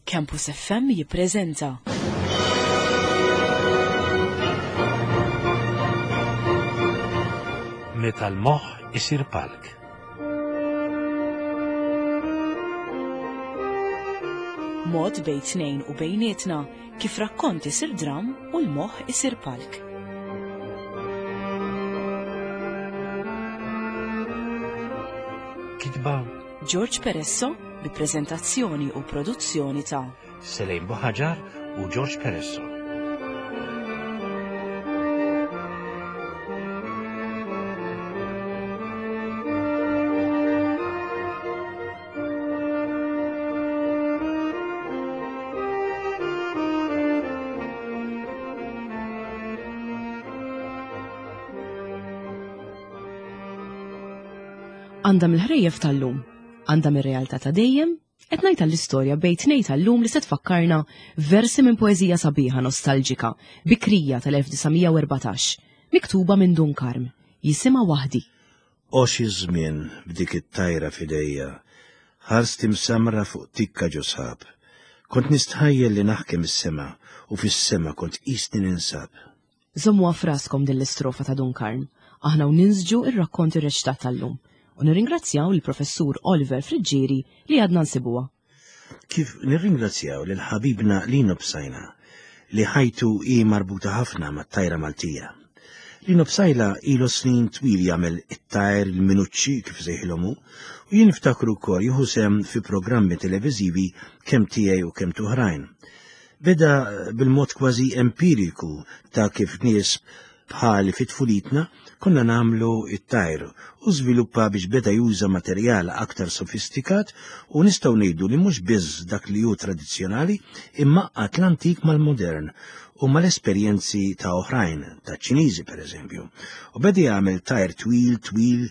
Campus FM jippreżenta. Meta l-moħħ isir palk. Mod bejn tnejn u bejnietna kif rakkont isir dram u l-moħħ isir palk. Kitba George Peresso bi preżentazzjoni u produzzjoni ta' Selejn Buħaġar u George Peresso. Għandha mill-ħrejjef tal-lum, għandha mir-realtà ta' dejjem, qed ngħid l-istorja bejn tnejn tal-lum li se tfakkarna versi minn poeżija sabiħa nostalġika, bikrija tal-1914, miktuba minn Dun Karm, jisimha Waħdi. O xi żmien b'dik it-tajra f'idejja, ħarsti msammra fuq tikka ġo sħab. Kont nistħajjel li naħkem is-sema u fis-sema kont qisni ninsab. Żommuha f'raskom din l-istrofa ta' Dun Karm, aħna u ninsġu r-rakkont irreċitat tal-lum, u nirringrazzjaw lill-Professur Oliver Friggieri li għadna nsibuha. Kif nirringrazzjaw lil ħabibna Lino Psaila li ħajtu hi marbuta ħafna mat-tajra Maltija. Lino Psaila ilu snin twil jagħmel it-tajr il-minuċċi kif sejħilhom hu, u jien niftakru wkoll jieħu sehem fi programmi televiżivi kemm tiegħi u kemm t'oħrajn. Beda bil-mod kważi empiriku ta' kif nies bħali fi tfulitna konna nagħmlu t-tajr u żviluppa biex beda juża materjal aktar sofistikat u nistgħu ngħidu li mhux biss dak li hu tradizzjonali imma għaqqad l-antik mal-modern u mal-esperjenzi ta' oħrajn, taċ-Ċiniżi pereżempju. U beda jagħmel tajr twil twil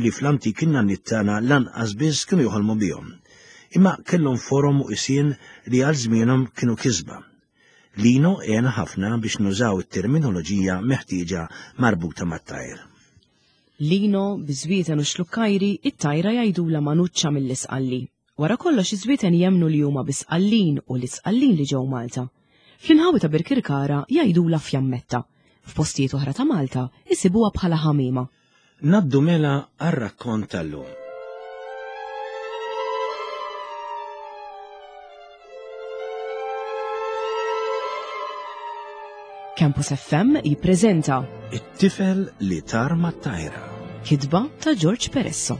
li fl-antik in-nanniet tagħna lanqas biss kienu joħolmu bihom. Imma kellhom forom u qisien li għal żmienhom kienu kisba. Lino għen ħafna biex nużaw it-terminoloġija meħtieġa marbuta mat-tajr. Lino, biż-żwieten u x-xlukkajri, it-tajra jgħidulha manuċċa mill-Isqalli. Wara kollox iż-żwieten jemmnu li huma bi Sqallin u l-Isqallin li ġew Malta. Fl-inħawi ta' Birkirkara jgħidulha fjammetta. F'postijiet oħra ta' Malta jsibuha bħala ħamiema. Ngħaddu mela għar-rakkont tal-lum. Campus FM jippreżenta It-tifel li tar mat-tajra. Kitba ta' George Peresso.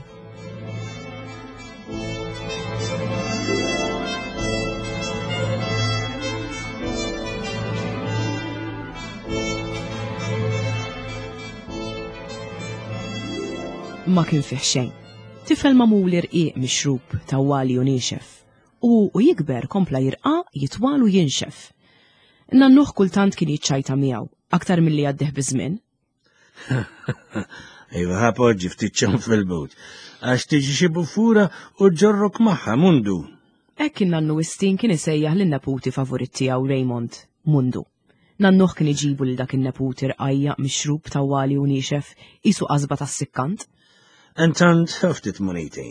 Ma kien fih xejn. Tifel magħmul irqiq mixrub, tawwali u niexef. U u jikber kompla jirqaq, jitwal u jinxef. Nannuh kultant kien jiċċajta miegħu, aktar milli għaddih biż-żmien. Iva ħa poġġi ftit ċom fil-but, għax tiġi xi buffura u ġorrok magħha mundu. Hekk kien nannu Wistin kien isejjaħ lin-neputi favorit tiegħu Raymond, Mundu. Nannuh kien iġibu lil dak in-neputi rqajja' mixrub tawwali u niexef qisu qasba tas-sikkant. Intant ftit muniti.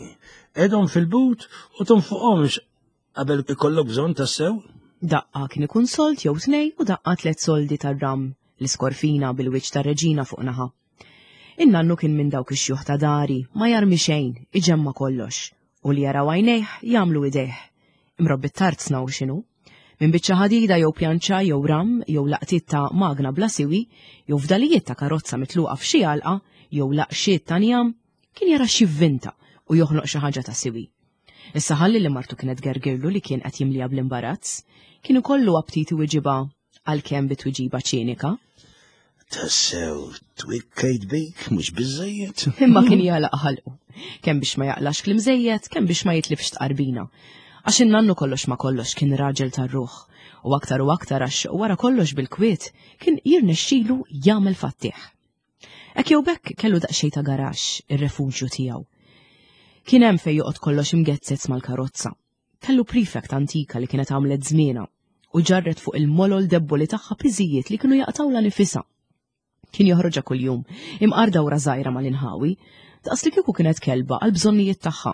Qegħdhom fil-but u tonfoqhomx Qabel ikollok bżonn tassew? Daqqa kien ikun sold jew tnej u daqqa tlet soldi tar-ram, l-iskorfina bil-wiċċ tar-reġina fuq naħa. In-nannu kien minn dawk ix-xjuħ ta' dari, ma jarmi xejn, iġemma' kollox, u li jaraw għajnejh jagħmlu idejh. Imrobbi t-tarzna hu x'inhu. Minn biċċa ħadida jew pjanċa jew ram jew laqtiet ta' magna bla siwi jew fdalijiet ta' karozza mitluqa f'xi għalqa jew laqxiet ta' njam, kien jara x'jivvinta u joħloq xi ħaġa ta' siwi. Issa ħalli li martu kienet gergirlu li kien qed jimliha bl-imbarazz, kien ikollu aptit iwiġibha għalkemm bi tweġiba ċinika. Tassew, twikkejt bik mhux biżejjed. Imma kien jagħlaq ħalqu, kemm biex ma jaqlax kliem żejjed, kemm biex ma jitlifx tqarbina. Għax in-nannu kollox ma kollox kien raġel tar-ruħ, u aktar u aktar għax wara kollox bil-kwiet kien jirnexxilu jagħmel fattih. Hekk jew b'hekk kellu daqsxejn ta' garaxx, ir-refuġju tiegħu. Kien hemm fejn joqgħod kollox imgezzez mal-karozza. Kellu prefect antika li kienet għamlet żmienha u ġarret fuq il-molol debboli tagħha piżijiet li kienu jaqtawla nifisha. Kien joħroġha kuljum, imqar dawra żgħira mal-inħawi, daqs li kieku kienet kelba għall-bżonnijiet tagħha.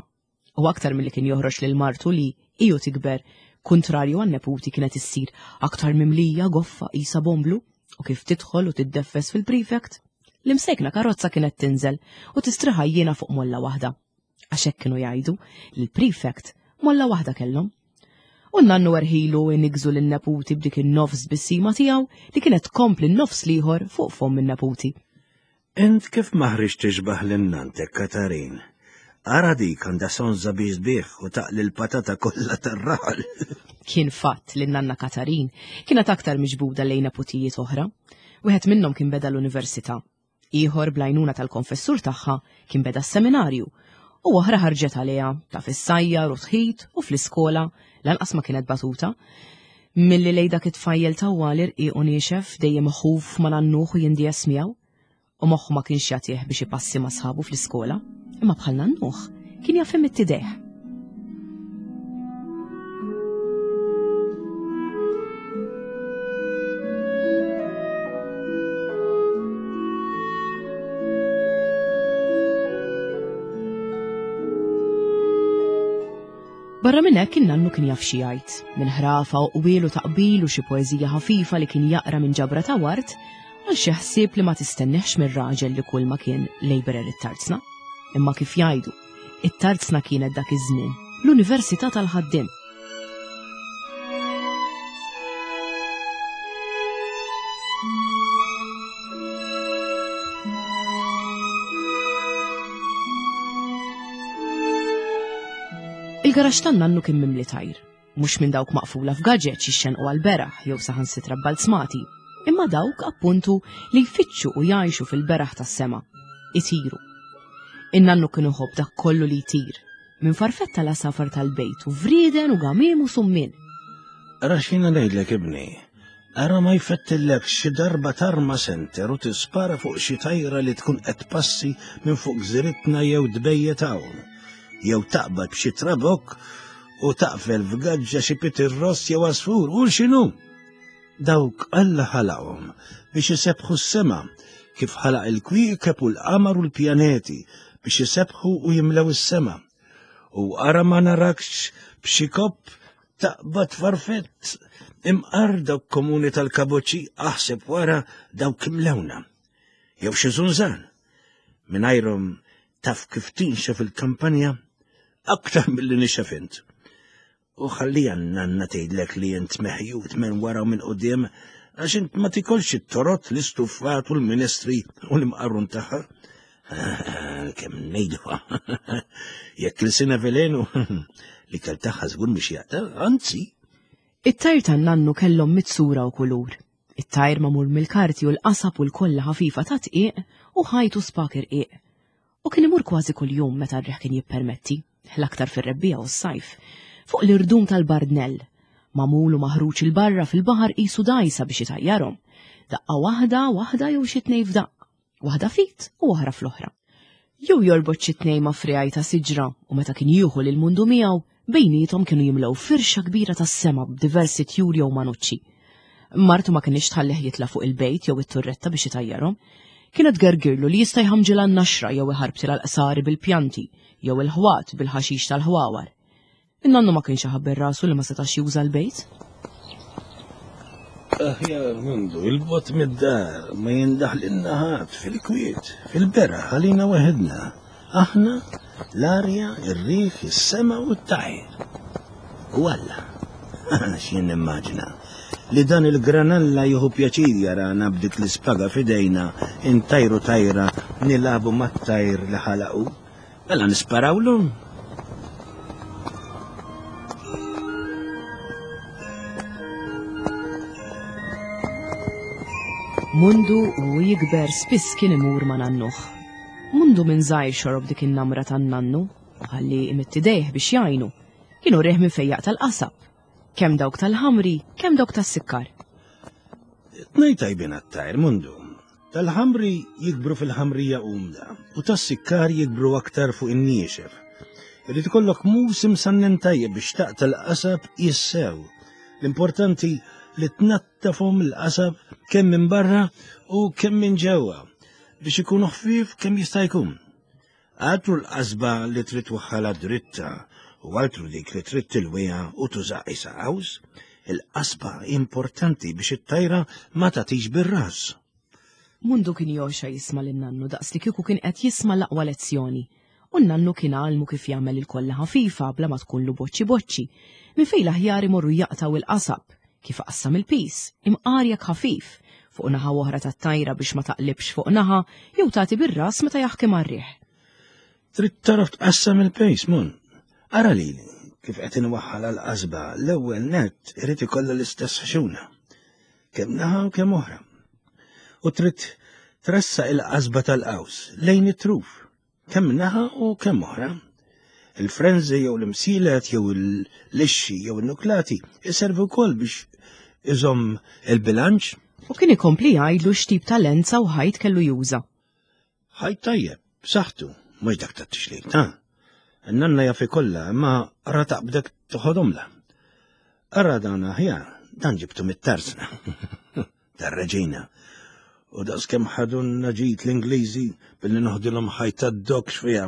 U aktar milli kien joħroġ lil martu li, hi u tikber, Kuntrarju għan-neputi kienet issir aktar mimlija goffa qisha bomblu u kif tidħol u tiddeffes fil-prefect, l-imsejkna karozza kienet tinżel u tistriħa jiena fuq molla waħda. Għax hekk kienu jgħidu li l-prefect molla waħda kellhom. U n-nannu erħilu inigżu lin-neputi b'dik in-nofs bissima tiegħu li kienet tkompli n-nofs l-ieħor fuq fomm in-neputi. Int kif ma ħriġt tixbah lil nanntek Katarin? Ara dik għandha sonża biex tbigħ u taqli l-patata kollha tar-raħal. Kien fatt li n-nanna Katarin kienet aktar miġbuda lejn neputijiet oħra. Wieħed minnhom kien beda l-università. Ieħor bl-għajnuna tal-konfessur tagħha kien beda s-seminarju u oħra ħarġet għaliha taf issajjar u tħit u fl-iskola lanqas ma kienet batuta. Milli lej dak it-tfajjel tawwal irqiq u niexef dejjem iħuf ma' nannuh u jindies miegħu. U moħħu ma kienx jagħtih biex ipassi ma' sħabu fl-iskola, imma bħal nannuh kien jaf imidd idejh. Barra minn hekk in-nannu kien jaf xi jgħid, minn ħrafa u qwiel u taqbil u xi poeżija ħafifa li kien jaqra minn ġabra ta' ward għal xi ħsieb li ma tistenneħx mir-raġel li kull ma kien labourer it-tarzna. Imma kif jgħidu, it-tarzna kienet dak iż-żmien l-Università tal-ħaddiem. Il-garaxx tan-nannu kien mimli tajr, mhux minn dawk maqfula f'gaġeġ jixxenqu għall-beraħ jew saħansitra bbalzmati, imma dawk appuntu li jfittxu u jgħixu fil-beraħ tas-sema, itiru. In-nannu kien iħobb dak kollu li jtir, minn farfetta l-għasafar tal-bejt u vrieden u gamiem u summien. Ara x'jiena ngħidlek ibni, Ara ma jfettillekx xi darba tarma senter u tispara fuq xi tajra li tkun qed tpassi minn fuq gżiritna jew tbejjet hawn. Jew taqbad b'xi trabokk u taqfel f'gaġġa xi pitirross jew għasfur u x'inhu. Dawk Alla ħalaqhom biex isebbħu s-sema kif ħalaq il-kwiekeb u l-qamar u l-pjaneti biex isebbħu u jimlew is-sema. U ara ma narakx b'xi kopp Taqbad farfett, imqar dawk komuni tal-kaboċċi aħseb wara dawk imlewna. Jew xi żunżan. Mingħajrhom taf kif tinxef il-kampanja aktar milli nixef int. U ħallija nanna tgħidlek li int meħjut minn wara u minn quddiem għax int ma tikolx it-torot, l-istuffat u l-ministri u l-imqarrun tagħha. Kemm ngħiduha. Jekk il-sina velenu li kell tagħha żgur mhux jaqta', anzi. It-tajr tan-nannu kellhom mitsura u kulur. It-tajr magħmul mill-karti u l-qasab u l-kolla ħafifa ta' tqiq u ħajt u spak irqiq. U kien imur kważi kuljum meta r-riħ kien jippermetti, l-aktar fir-rebbiegħa u s-sajf, fuq l-irdum tal-Bardnell, magħmul u maħruġ 'il barra fil-baħar qisu dgħajsa biex itajjarhom. Daqqa waħda, waħda jew xi tnejn f'daqqa. waħda fit u oħra fl-oħra. Jew jorbot xi tnejn ma' friegħi ta' siġra u meta kien jieħu lil mundu miegħu, bejniethom kienu jimlew firxa kbira tas-sema b'diversi tjur jew manuċċi. Martu ma kinitx tħallih jitla' fuq il-bejt jew it-turretta biex itajjarhom. Kienet tgergirlu li jista' jħammġilha n-naxra jew iħarbtilha l-qsari bil-pjanti jew il-ħwat bil-ħaxix tal-ħwawar. In-nannu ma kienx iħabber rasu li ma setax juża l-bejt. Aħjar mundu, il-bot mid-dar, ma jindaħlilna ħadd fil-kwiet, fil-beraħ għalina waħedna. Aħna, l-arja, ir-riħ, is-sema u t-tajr. U Alla, x'jien nimmaġina, li dan il-granalla jieħu pjaċir jarana b'dik l-ispaga f'idejna intajru tajra nilagħbu mat-tajr li ħalaqu. Mela nisparawlu? Mundu u jikber spiss kien imur ma' nannuh. Mundu minn żgħir xorob dik in-namra tan-nannu, ħalli imitt idejh biex jgħinu. Kienu rih minn fejjaq tal-qasab. Kemm dawk tal-ħamri, kemm dawk tas-sikkar. Tnej tajbin għat-tajr, Mundu. Tal-ħamri jikbru fil-ħamrija umda u tas-sikkar jikbru aktar fuq in-niexef. Irid ikollok mus imsannen tajjeb biex taqta' l-qasab jissew. L-importanti li tnattafhom il-qasab kemm minn barra u kemm minn ġewwa biex ikunu ħfief kemm jista' jkun. Għatru l-qasba li trid twaħħalha dritta. U altru dik li trid tilwiha u tuża qisha qaws, il-qasba importanti biex it-tajra ma tagħtix bir-ras. Mundu kien jogħxa jisma' lin-nannu daqs li kieku kien qed jisma' l-aqwa lezzjoni. U n-nannu kien għallmu kif jagħmel il-kolla ħafifa bla ma tkunlu boċċi boċċi, minn fejn l-aħjar imorru jaqtgħu il-qasab, kif iqassam il-piż, imqar jekk ħafif, fuq naħa u oħra tat-tajra biex ma taqlibx fuq naħa jew tagħti bir-ras meta jaħkem għar-riħ. Trid tagħraf tqassam il-pejs, mun. Ara lili kif qed inwaħħal għall-qasba l-ewwel nett irid ikollha l-istess ħxuna. Kemm naħa u kemm oħra. U trid tressaq il-qasba tal-qaws lejn it-truf, kemm naħa u kemm oħra. Il-frenzi jew l-imsielet jew l-lixxi jew in-nuklati iservu wkoll biex iżomm il-bilanċ. U kien ikompli jgħidlu x'tip ta' lenza u ħajt kellu juża. Ħajt tajjeb, b'saħħtu, mhux dak tat-tixlil, ta'. Nanna jaf ikollha, imma ra taqbdek toħodhomla. Ara dan aħjar, dan ġibtu mit-tarzna. Tar-reġina. U daqs kemm ħadunna ġid l-Ingliżi billi noħdilhom ħajt tad-dokx fiha.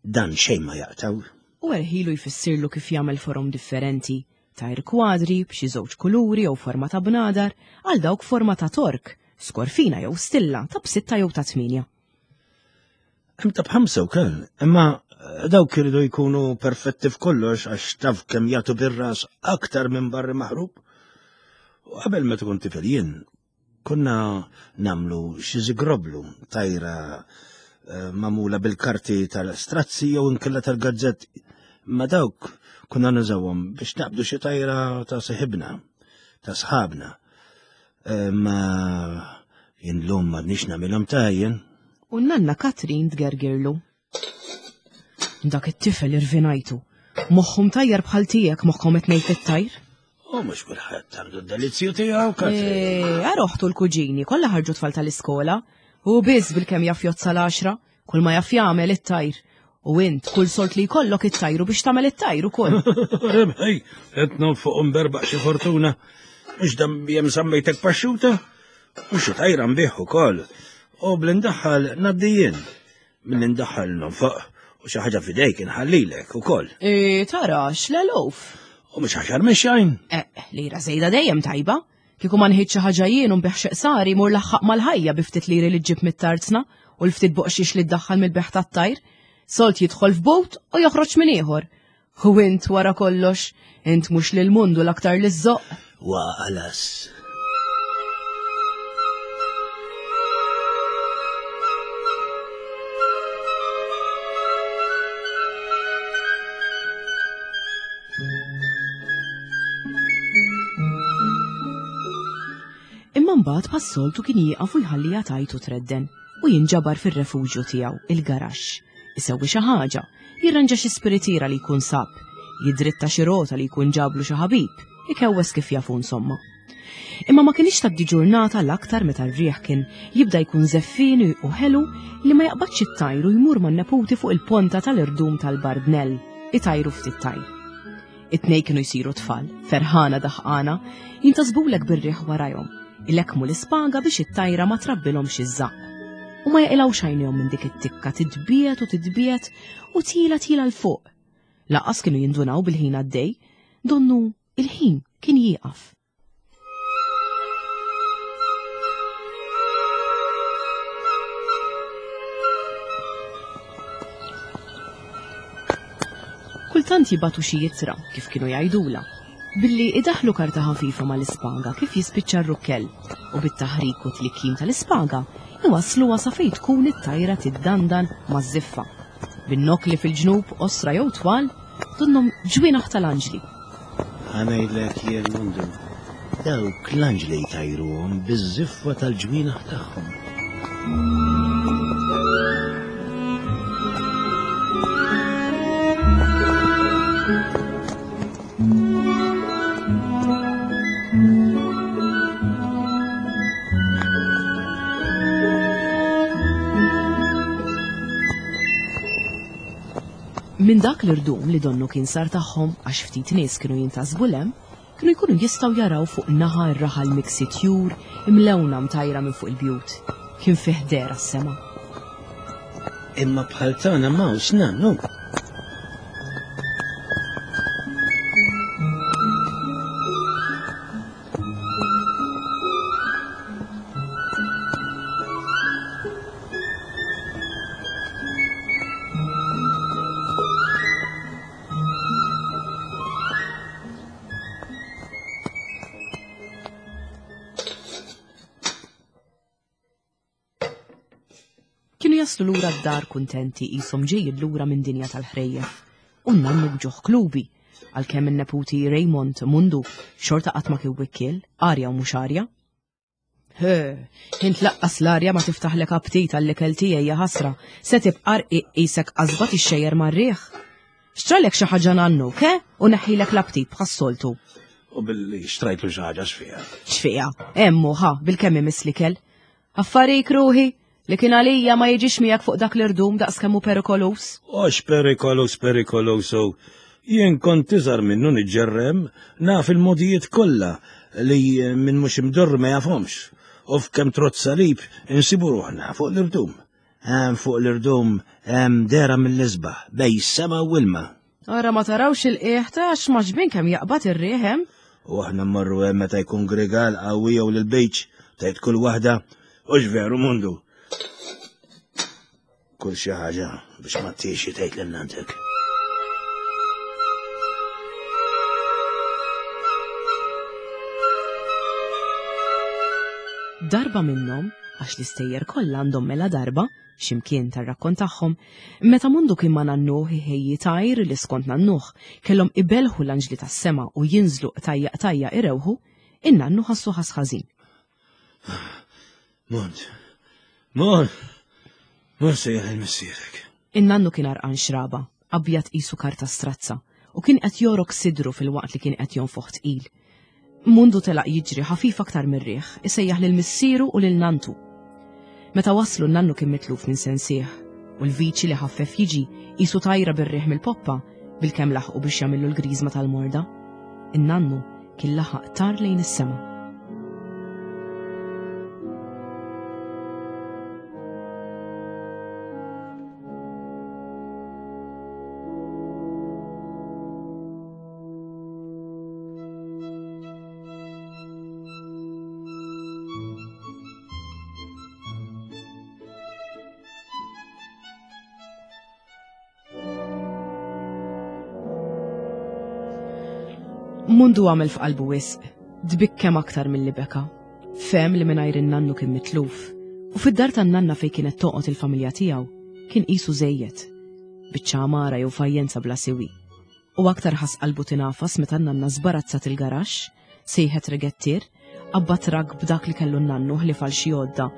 Dan xejn ma jaqtaw. U erħilu jfissirlu kif jagħmel forom differenti, tajr kwadri b'xi żewġ kuluri jew forma ta' bnadar, għal dawk forma ta' tork, skorfina jew stilla ta' b'sitta jew ta' tmienja. Hemm ta' b'ħamsa wkoll, imma eh, dawk iridu jkunu perfetti f'kollox għax taf kemm jagħtu bir-ras aktar minn barri maħrub. U qabel ma tkun tifel jien, Konna namlu xi zigroblu, tajra eh, mamula bil-karti tal-strazzi jew inkella tal-gazzetti. Ma dawk konna nużawhom biex naqbdu xi tajra ta' seħibna, ta' sħabna. Eh, ma jien lum m'għadniex nagħmilhom tajjen. U nanna Katrin tgergirlu. Dak it-tifel irvinajtu. Moħħu mtajjar bħal tiegħek moħħkom qed ngħid it-tajr. U mhux kulħadd għandu d-delizzju tiegħu, Katrin. Eh, ara oħtu l-kuġini, kollha ħarġu tfal tal-iskola. U biss bil-kemm jaf jozza l-għaxra, kull ma jaf jagħmel it-tajr. U int, kull solt li jkollok it-tajru biex tagħmel it-tajr ukoll. Rebħej, qed nonfoq nberbaq xi fortuna. Mhux dam jem sammejtek paxxuta? U xi tajra nbih ukoll. U bl-indaħħal ngħaddi jien. Milli ndaħħal nonfoq u xi ħaġa f'idejk inħallilek ukoll. E, tara, x'l-eluf. U mhux aħjar mix-xejn. Eh, lira żejda dejjem tajba. Kieku ma nħidx xi ħaġa jien u nbigħ xi qsari mur laħħaq mal-ħajja bi ftit liri li ġġib mit-tarzna u l-ftit boqxiex li ddaħħal mill-beħ tat-tajr. Solt jidħol f'but u joħroġ minn ieħor. U int wara kollox, int mhux lil mundu l-aktar li żżoqq. Waqalas. Imma mbagħad bħas-soltu kien jieqaf u jħalliha tgħid u tredden u jinġabar fir-refuġju tiegħu, il-garaxx. Isewwi xi ħaġa, jirranġa xi spiritiera li jkun sab, jidritta xi rota li jkun ġablu xi ħabib, ikewwes kif jafu insomma. Imma ma kienx tgħaddi ġurnata l-aktar meta r-riħ kien jibda jkun żeffieni u ħelu li ma jaqbadx it-tajr u jmur man-neputi fuq il-ponta tal-irdum tal-Bardnell, itajru ftit tajr. It-tnej kienu jsiru tfal, ferħana daħqana, jintasbulek bir-riħ warajhom, ilekkmu l-ispaga biex it-tajra ma trabbilhomx iż-żaqq. U ma jaqilgħux għajnejhom minn dik it-tikka titbiegħed u titbiegħed u tila tila 'l fuq. Lanqas kienu jindunaw bil-ħin għaddej, donnu il-ħin kien jieqaf. Kultant jibatu xi jittra, kif kienu jgħidula, billi idaħlu karta ħafifa mal-ispaga kif jispiċċa r-rukkell u bit-taħrik u tlikkim tal-ispaga iwassluha sa fejn tkun it-tajra tiddandan maż-żiffa. Bin-nokkli fil-ġnub qosra jew twal, donnhom ġwienaħ tal-anġli. Ħa ngħidlek jien Mundu, dawk l-anġli jtajruhom biż-żiffa tal-ġwienaħ tagħhom. Minn dak l-irdum li donnu kien sar tagħhom għax ftit nies kienu jintasbu 'l hemm, kienu jkunu jistgħu jaraw fuq naħa r-raħal miksi tjur imlewna mtajra minn fuq il-bjut. Kien fih dehra s-sema. Imma bħal tagħna m'hawnx nannu. jaslu lura d-dar kuntenti qishom ġejjin lura minn dinja tal-ħrejjef. U n-nannu b'ġuħ klubi, għalkemm in-neputi Raymond Mundu xorta qatt ma kien wikkiel, arja u mhux arja. He, int laqqas l-arja ma tiftaħlek aptit għall-ikel tiegħi ja ħasra, se tibqa' rqiq qisek qasba tixxejjer mar-riħ. Xtralek xi ħaġa nannu, ke? U neħħilek l-aptit bħas-soltu. U billi xtrajtlu xi ħaġa x'fiha. X'fiha? Hemm ħa, bil-kemm imiss l-ikel. Affarik ruħi, li kien għalija ma jiġix miegħek fuq dak l-irdum daqs kemm hu perikolus. Ox perikolus perikolus u jien kont iżgħar minnu niġġerrem, naf il-modijiet kollha li min mhux imdorr ma jafhomx. U f'kemm trott salib insibu ruħna fuq l-irdum. Hemm fuq l-irdum hemm dera mill-isbaħ bej sema u ilma. Ara ma tarawx il-qiegħ ta' għax maġbin kemm jaqbad ir-riħ hemm. U aħna mmorru hemm meta jkun grigal qawwi jew l-beach tgħid kull waħda u veru mundu. Kull xi ħaġa biex ma tixi tgħid lil nantek. Darba minnhom, għax l-istejjer kollha għandhom mela darba, x'imkien tar-rakkont tagħhom, meta Mundu kien ma' nannuh iħejji tajr li skont nannuh kellhom ibelħu l-anġli tas-sema u jinżlu qtajja qtajja irewħu, in-nannu ħassu ħass ħażin. Mond, mond, mond sejjaħ il-missierek. In-nannu kien għarqan xraba, abjad qisu karta strazza, u kien qed jorok sidru filwaqt li kien qed jonfoħ tqil. Mundu telaq jiġri ħafif aktar mir-riħ, isejjaħ lil missieru u lil nanntu. Meta waslu n-nannu kien mitluf minn sensih, u l-viċi li ħaffef jiġi qisu tajra bir-riħ mill-poppa bilkemm laħqu biex jagħmillu l-griżma tal-morda. In-nannu kien laħaq tar lejn is-sema. Mundu għamel f'qalbu wisq, dbikkem aktar milli beka. Fehem li mingħajr in-nannu kien mitluf, u fid-dar tan-nanna fejn kienet toqgħod il-familja tiegħu kien qisu żejjed. Biċċa għamara jew fajjenza bla siwi. U aktar ħass qalbu tingħafas meta n-nanna żbarazzat il-garaxx, sejħet regettier, qabba trakk b'dak li kellu n-nannu ħlief għal xi għodda,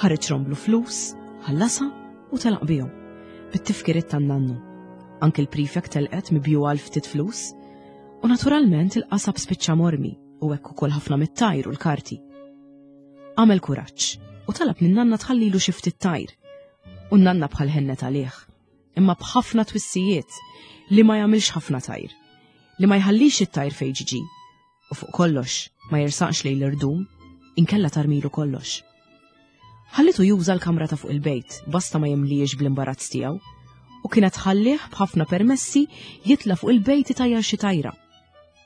ħareġ romblu flus, ħallasha u telaq bihom. Bit-tifkiriet tan-nannu. Anki l-prefect telqet mibjugħa għal ftit flus. U naturalment il-qasab spiċċa mormi u hekk ukoll ħafna mit-tajr u l-karti. Għamel kuraġġ u talab lin-nanna tħallilu xi ftit tajr. U n-nanna bħal ħennet għalih. imma b'ħafna twissijiet li ma jagħmilx ħafna tajr, li ma jħallix it-tajr fejn ġiġi, u fuq kollox ma jersaqx lejn l-irdum, inkella tarmilu kollox. Ħallitu juża l-kamra ta' fuq il-bejt, basta ma jimliex bl-imbarazz tiegħu, u kienet ħallih b'ħafna permessi jitla' fuq il-bejt itajjar xi tajra.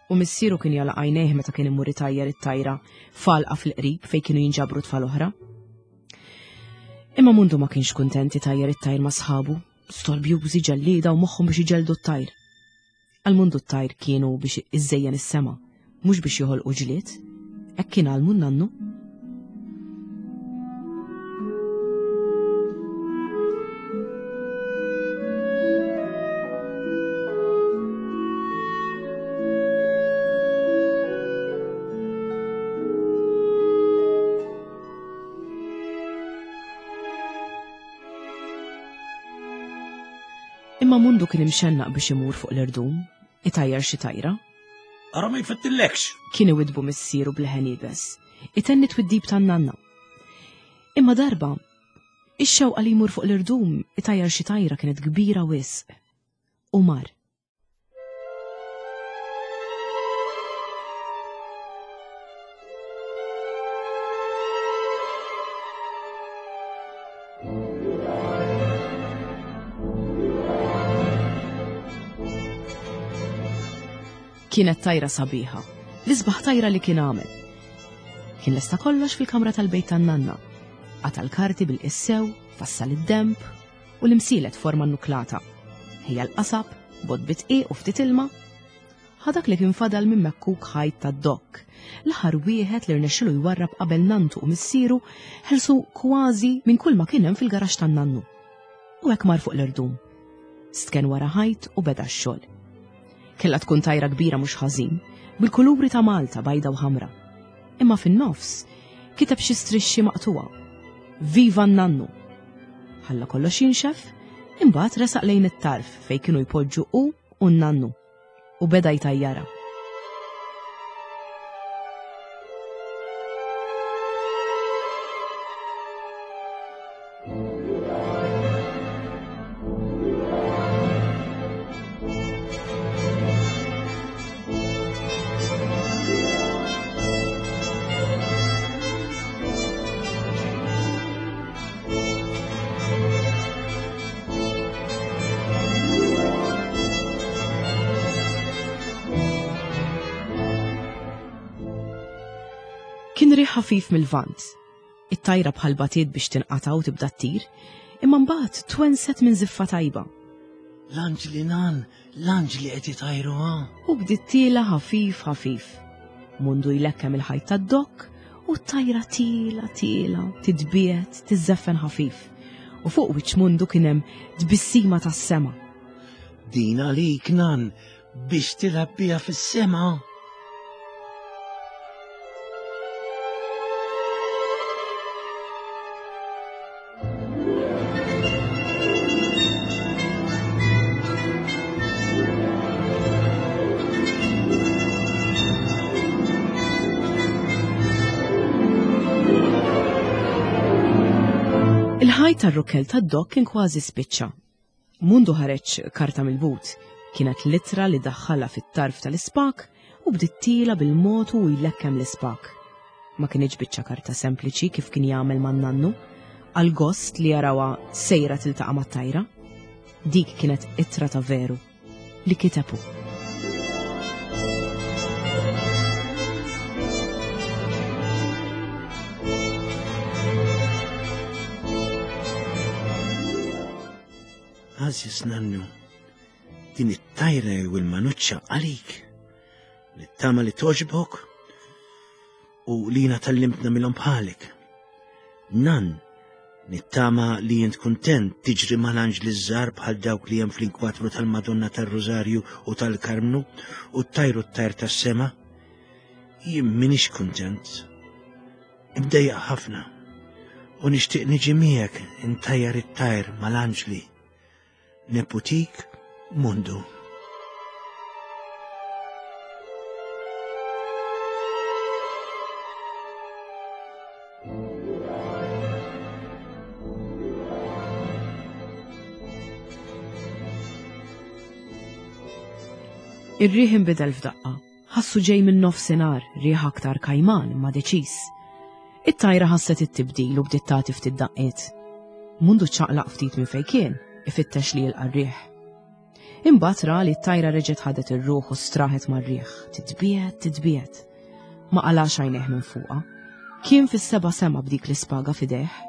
U missieru kien jala għajnejh meta kien imur itajjar it-tajra falqa fil-qrib fejn kienu jinġabru tfal oħra. Imma Mundu ma kienx kuntent itajjar it-tajr ma' sħabu, storbjużi ġellieda u moħħhom biex iġelldu t-tajr. Għal Mundu t-tajr kienu biex iżejjen is-sema, mhux biex joħolqu ġlied. Hekk kien għallmu n-nannu. Imma Mundu kien imxennaq biex imur fuq l-irdum, itajjar xi tajra. Ara ma jfettillekx! Kien iwidbu missieru b'leħen iebes, itenni twiddib tan-nanna. Imma darba, ix-xewqa li jmur fuq l-irdum itajjar xi tajra kienet kbira wisq. U mar. Kienet tajra sabiħa, l-isbaħ tajra li kien għamel. Kien lesta kollox fil-kamra tal-bejt tan-nanna. Qata' l-karti bil-qissew, fassal id-demb u l-imsielet forma nuklata. Ħejja l-qasab, bott bit-dqiq u ftit ilma. Ħa dak li kien fadal minn mekkuk ħajt tad-dokk, l-aħħar wieħed li rnexxilu jwarrab qabel nanntu u missieru ħelsu kważi minn kull ma kien hemm fil-garaxx tan-nannu. U hekk mar fuq l-irdum. Stken wara ħajt u beda x-xogħol. Kellha tkun tajra kbira mhux ħażin, bil-kuluri ta' Malta bajda u ħamra. Imma fin-nofs kiteb xi strixxi maqtuwa. Viva n-nannu! Ħalla kollox jinxef, imbagħad resaq lejn it-tarf fejn kienu jpoġġu hu u n-nannu u beda jtajjarha. Kien riħ ħafif mill-vant. It-tajra bħal batiet biex tinqata' u tibda ttir, imma mbagħad twenset minn żiffa tajba. L-anġli nan, l-anġli qed itajru ha. U bdiet tiela ħafif ħafif. Mundu jlekkem il-ħajt tad-dokk u t-tajra tiela tiela, titbiegħed, tiżżeffen ħafif. U fuq wiċċ Mundu kien hemm tbissima tas-sema. Din għalik nan biex tilgħab biha fis-sema. Il-ħajt tar-rukkel tad-dok kien kważi spiċċa. Mundu ħareġ karta mill-but. Kienet l-ittra li daħħalha fit-tarf tal-ispak u bdiet tiela bil-mod u jlekkem l-ispak. Ma kinitx biċċa karta sempliċi kif kien jagħmel man-nannu, għall-gost li jarawha sejra tiltaqa' mat-tajra. Dik kienet ittra ta' veru li kiteb hu. Għażiż nannu, din it-tajra jew il-manuċċa għalik. Nittama li toġbok u li jina tallimt nagħmilhom bħalek. Nan, nittama li jint kuntent tiġri mal-anġli żgħar bħal dawk li hemm fl-inkwatru tal-Madonna tar-Rużarju u tal-Karmnu u t-tajru t-tajr tas-sema. Jien minix kuntent. Imdejjaq ħafna u nixtieq niġi miegħek intajjar it-tajr mal-anġli. Neputik Mundu. Ir-riħ inbidel f'daqqa. Ħassu ġej minn nofsinhar, riħ aktar kajman imma deċiż. It-tajra ħasset it-tibdil u bdiet tagħti ftit daqqiet. Mundu ċċaqlaq ftit minn fejn kien, ifittex li jilqa' r-riħ. Imbagħad ra li t-tajra reġgħet ħadet ir-ruħ u straħet mar-riħ, titbiegħed, titbiegħed. Ma qalax għajnejh minn fuqha. Kien fis-seba' sema b'dik l-ispaga f'idejh.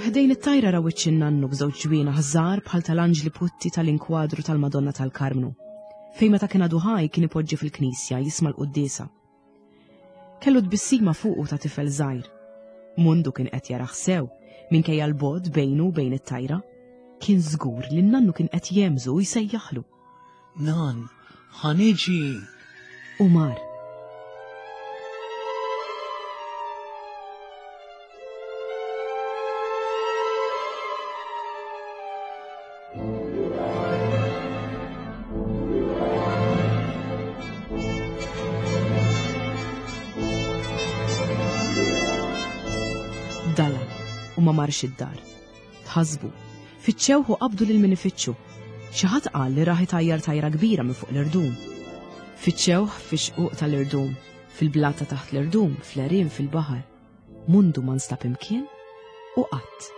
Ħdejn it-tajra ra wiċċ in-nannu b'żewġ ġwienaħ żgħar bħal tal-anġli putti tal-inkwadru tal-Madonna tal-Karmnu, fejn meta kien għadu ħaj kien ipoġġi fil-knisja jisma' l-quddiesa. Kellu tbissima fuqu ta' tifel żgħir. Mundu kien qed jarah sew, minkejja l-bogħod bejnu u bejn it-tajra. Kien żgur li n-nannu kien qed jehmżu u jsejjaħlu. Nan, ħa niġi! U mar. Dala u ma marx id-dar. Tħasbu. Fittxewh u qabdu lil min ifittxu. Xi ħadd qal li rah itajjar tajra kbira minn fuq l-irdum. Fittxewh fix-xquq tal-irdum, fil-blata taħt l-irdum, fl-għerien fil-baħar. Mundu ma nstab imkien u qatt.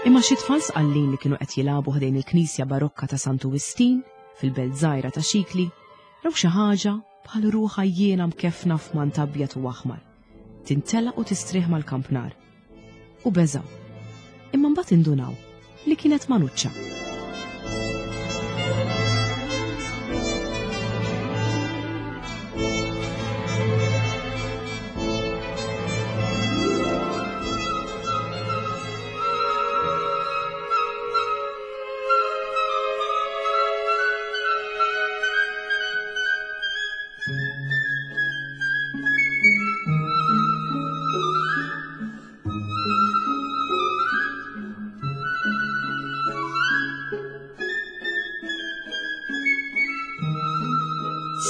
Imma xi tfal sqallin li kienu qed jilagħbu ħdejn il-knisja barokka ta' Santu Wistin fil-belt żgħira ta' Xikli raw xi ħaġa bħal ruħ għajjiena mkeffna f'mant abjad u aħmar, tintelaq u tistrieħ mal-kampnar. U beżgħu. Imma mbagħad indunaw li kienet manuċċa.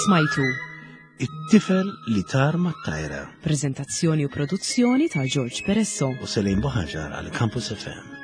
Smajtu. It-tifel li tar mat-tajra. Prezentazzjoni u produzzjoni ta' George Peresso. U Selin Boħaġar għal Campus FM.